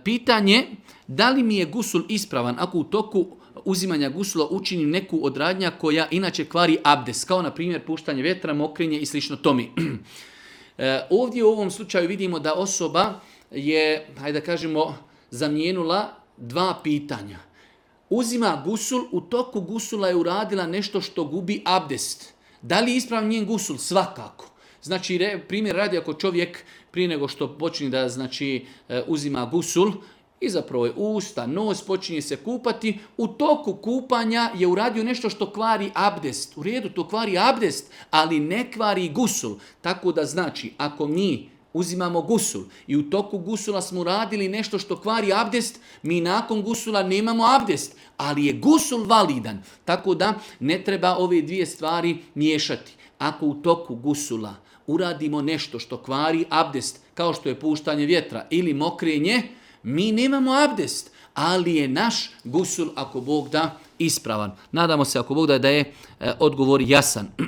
Pitanje, da li mi je gusul ispravan ako u toku uzimanja gusula učinim neku od radnja koja inače kvari abdest, kao na primjer puštanje vjetra, mokrenje i slično tome. Ovdje u ovom slučaju vidimo da osoba je, hajde da kažemo, zamijenula dva pitanja. Uzima gusul, u toku gusula je uradila nešto što gubi abdest. Da li je ispravan njen gusul? Svakako. Znači, primjer radi ako čovjek prije nego što počne da uzima gusul, i zapravo je usta, nos, počinje se kupati, u toku kupanja je uradio nešto što kvari abdest. U redu, to kvari abdest, ali ne kvari gusul. Tako da znači, ako mi uzimamo gusul i u toku gusula smo uradili nešto što kvari abdest, mi nakon gusula nemamo abdest, ali je gusul validan. Tako da ne treba ove dvije stvari miješati. Ako u toku gusula uradimo nešto što kvari abdest, kao što je puštanje vjetra ili mokrenje, mi nemamo abdest, ali je naš gusul, ako Bog da, ispravan. Nadamo se, ako Bog da je odgovor jasan.